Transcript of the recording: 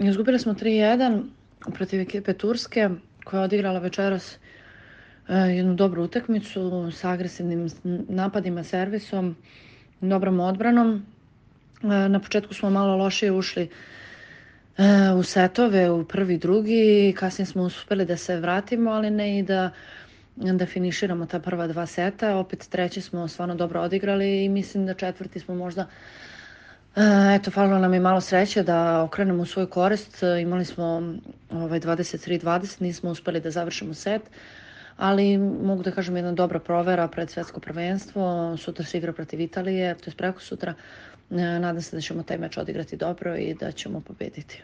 Izgubili smo 3:1 protiv ekipe Turske koja je odigrala večeras jednu dobru utakmicu sa agresivnim napadima, servisom, dobrom odbranom. Na početku smo malo lošije ušli u setove, u prvi, drugi, kasnije smo uspeli da se vratimo, ali ne i da finiširamo ta prva 2 seta. Opet treći smo stvarno dobro odigrali i mislim da četvrti smo možda falilo nam je malo sreće da okrenemo u svoju korist. Imali smo 23-20, nismo uspeli da završimo set, ali mogu da kažem jedna dobra provera pred svetsko prvenstvo. Sutra se igra protiv Italije, to je preko sutra. Nadam se da ćemo taj meč odigrati dobro i da ćemo pobediti.